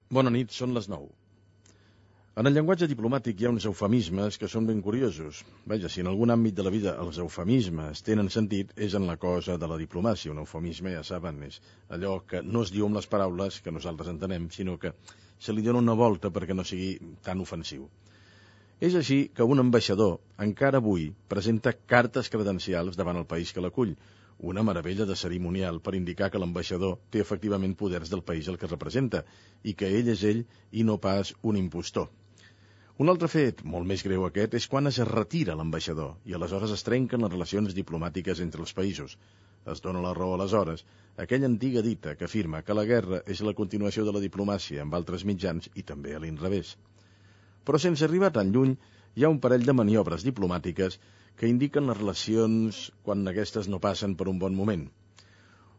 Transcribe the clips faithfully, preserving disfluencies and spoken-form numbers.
Bona nit, són les nou. En el llenguatge diplomàtic hi ha uns eufemismes que són ben curiosos. Vaja, si en algun àmbit de la vida els eufemismes tenen sentit, és en la cosa de la diplomàcia. Un eufemisme, ja saben, és allò que no es diu amb les paraules que nosaltres entenem, sinó que se li dona una volta perquè no sigui tan ofensiu. És així que un ambaixador, encara avui, presenta cartes credencials davant el país que l'acull, una meravella de cerimonial per indicar que l'ambaixador té efectivament poders del país al que representa i que ell és ell i no pas un impostor. Un altre fet, molt més greu aquest, és quan es retira l'ambaixador i aleshores es trenquen les relacions diplomàtiques entre els països. Es dona la raó aleshores a aquella antiga dita que afirma que la guerra és la continuació de la diplomàcia amb altres mitjans i també a l'inrevés. Però sense arribar tan lluny, hi ha un parell de maniobres diplomàtiques que indiquen les relacions quan aquestes no passen per un bon moment.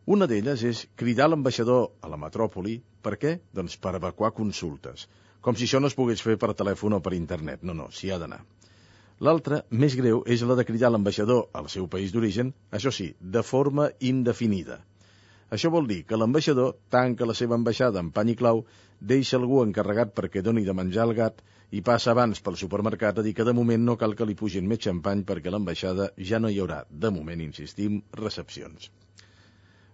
Una d'elles és cridar l'ambaixador a la metròpoli. Per què? Doncs per evacuar consultes. Com si això no es pogués fer per telèfon o per internet. No, no, s'hi ha d'anar. L'altra, més greu, és la de cridar l'ambaixador al seu país d'origen, això sí, de forma indefinida. Això vol dir que l'ambaixador tanca la seva ambaixada amb pany i clau, deixa algú encarregat perquè doni de menjar al gat i passa abans pel supermercat a dir que de moment no cal que li pugin més xampany perquè a l'ambaixada ja no hi haurà, de moment, insistim, recepcions.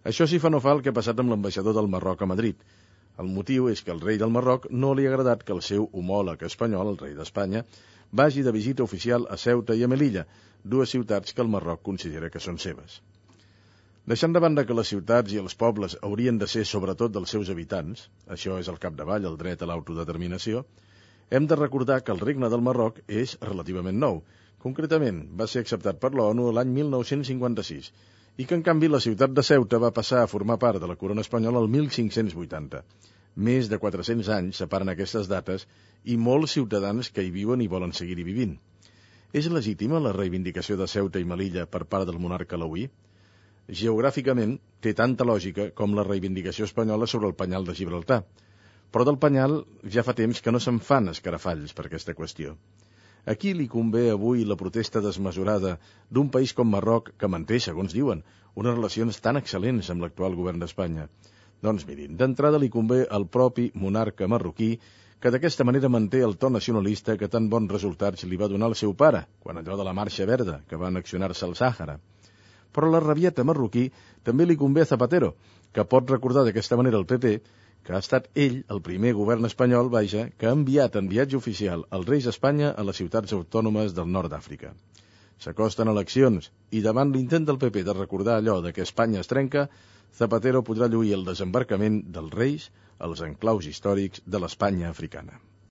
Això sí fa no fa el que ha passat amb l'ambaixador del Marroc a Madrid. El motiu és que al rei del Marroc no li ha agradat que el seu homòleg espanyol, el rei d'Espanya, vagi de visita oficial a Ceuta i a Melilla, dues ciutats que el Marroc considera que són seves. Deixant de banda que les ciutats i els pobles haurien de ser sobretot dels seus habitants, això és al capdavall el dret a l'autodeterminació, hem de recordar que el regne del Marroc és relativament nou. Concretament, va ser acceptat per l'ONU l'any mil nou-cents cinquanta-sis i que, en canvi, la ciutat de Ceuta va passar a formar part de la corona espanyola el mil cinc-cents vuitanta. Més de quatre-cents anys separen aquestes dates i molts ciutadans que hi viuen i volen seguir-hi vivint. És legítima la reivindicació de Ceuta i Melilla per part del monarca alauí? Geogràficament, té tanta lògica com la reivindicació espanyola sobre el penyal de Gibraltar. Però del penyal ja fa temps que no se'n fan escarafalls per aquesta qüestió. A qui li convé avui la protesta desmesurada d'un país com Marroc que manté, segons diuen, unes relacions tan excel·lents amb l'actual govern d'Espanya? Doncs mirin, d'entrada li convé al propi monarca marroquí que d'aquesta manera manté el to nacionalista que tan bons resultats li va donar el seu pare, quan allò de la Marxa Verda, que va annexionar-se al Sàhara. Però la rabieta marroquí també li convé a Zapatero, que pot recordar d'aquesta manera al P P que ha estat ell, el primer govern espanyol, vaja, que ha enviat en viatge oficial els reis d'Espanya a les ciutats autònomes del nord d'Àfrica. S'acosten eleccions i davant l'intent del P P de recordar allò de que Espanya es trenca, Zapatero podrà lluir el desembarcament dels reis als enclaus històrics de l'Espanya africana.